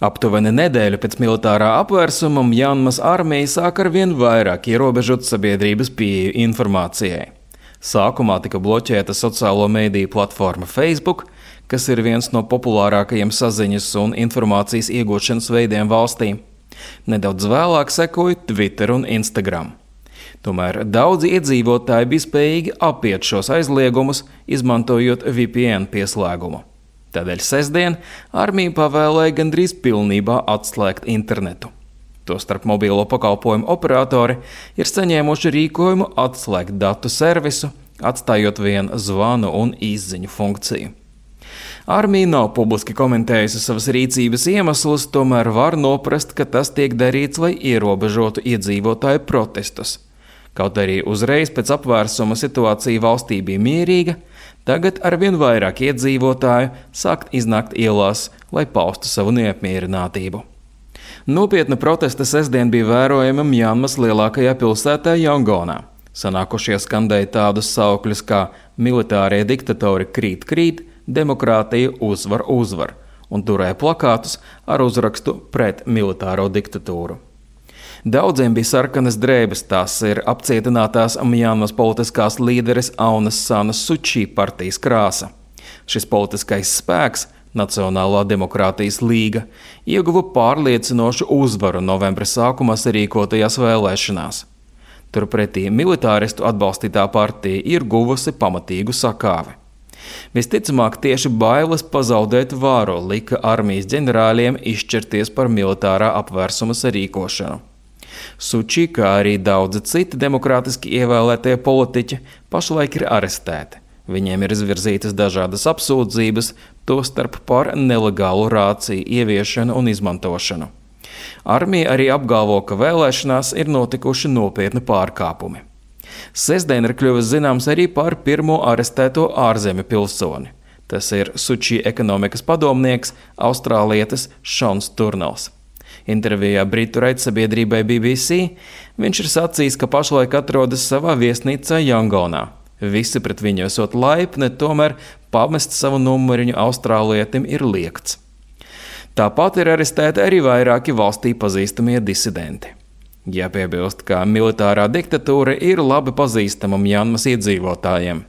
Aptuveni nedēļu pēc militārā apvērsuma Mjanmas armija sāk arvien vairāk ierobežot sabiedrības pieeju informācijai. Sākumā tika bloķēta sociālo mediju platforma Facebook, kas ir viens no populārākajiem saziņas un informācijas iegūšanas veidiem valstī. Nedaudz vēlāk sekoja Twitter un Instagram. Tomēr daudzi iedzīvotāji bija spējīgi apiet šos aizliegumus, izmantojot VPN pieslēgumu. Tādēļ sestdien armija pavēlēja gandrīz pilnībā atslēgt internetu. Tostarp mobilo pakalpojumu operatori ir saņēmuši rīkojumu atslēgt datu servisu, atstājot vien zvanu un izziņu funkciju. Armija nav publiski komentējusi savas rīcības iemeslus, tomēr var noprast, ka tas tiek darīts, lai ierobežotu iedzīvotāju protestus. Kaut arī uzreiz pēc apvērsuma situācija valstī bija mierīga, tagad arvien vairāk iedzīvotāju sākt iznākt ielās, lai paustu savu neapmierinātību. Nopietna protesta sestdien bija vērojama Mjanmas lielākajā pilsētā Jangonā. Sanākušie skandēja tādus saukļus kā militārie diktatori krīt, krīt, demokrātija uzvar, uzvar, un turēja plakātus ar uzrakstu pret militāro diktatūru. Daudziem bija sarkanas drēbes, tās ir apcietinātās Mjanmas politiskās līderes Aunas Sanas Suči partijas krāsa. Šis politiskais spēks, Nacionālā demokrātijas līga, ieguva pārliecinošu uzvaru novembra sākumā sarīkotajās vēlēšanās. Turpretī militāristu atbalstītā partija ir guvusi pamatīgu sakāvi. Visticamāk, tieši bailes pazaudēt varu lika armijas ģenerāļiem izšķirties par militārā apvērsuma sarīkošanu. Suči, kā arī daudzi citi demokrātiski ievēlētie politiķi, pašlaik ir arestēti. Viņiem ir izvirzītas dažādas apsūdzības, tostarp par nelegālu rāciju ieviešanu un izmantošanu. Armija arī apgalvo, ka vēlēšanās ir notikuši nopietni pārkāpumi. Sestdien ir kļuvis zināms arī par pirmo arestēto ārzemju pilsoni. Tas ir Suči ekonomikas padomnieks, austrālietis Šons Turnels. Intervijā britu raidsabiedrībai BBC viņš ir sacījis, ka pašlaik atrodas savā viesnīcā Jangonā. Visi pret viņu esot laipni, tomēr pamest savu numuriņu austrālietim ir liegts. Tāpat ir arestēti arī vairāki valstī pazīstamie disidenti. Jāpiebilst, ka militārā diktatūra ir labi pazīstama Mjanmas iedzīvotājiem.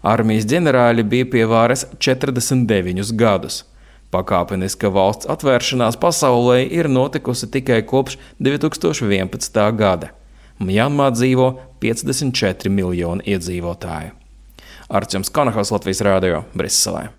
Armijas ģenerāļi bija pie varas 49 gadus. Pakāpeniska valsts atvēršanās pasaulē ir notikusi tikai kopš 2011. gada. Mjanmā dzīvo 54 miljoni iedzīvotāju. Arčuns Kanahos, Latvijas Rādio, Briselē.